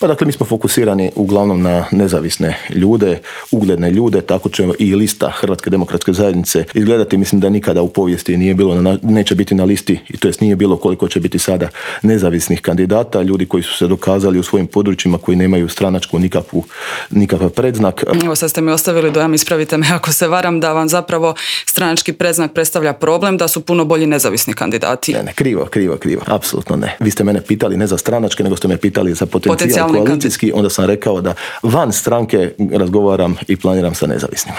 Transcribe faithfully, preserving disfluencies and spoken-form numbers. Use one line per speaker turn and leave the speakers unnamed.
Pa dakle, mi smo fokusirani uglavnom na nezavisne ljude, ugledne ljude, tako će i lista Hrvatske demokratske zajednice izgledati. Mislim da nikada u povijesti nije bilo, na, neće biti na listi, i to jest nije bilo koliko će biti sada nezavisnih kandidata, ljudi koji su se dokazali u svojim područjima, koji nemaju stranačku nikakvu, nikakav predznak.
Evo sad ste mi ostavili dojam, ispravite me ako se varam, da vam zapravo stranački predznak predstavlja problem, da su puno bolji nezavisni kandidati.
Ne, ne, krivo, krivo, krivo. Apsolutno ne. Vi ste mene pitali ne za stranačke, nego ste me pitali za potencijal koalicijski, onda sam rekao da van stranke razgovaram i planiram sa nezavisnima.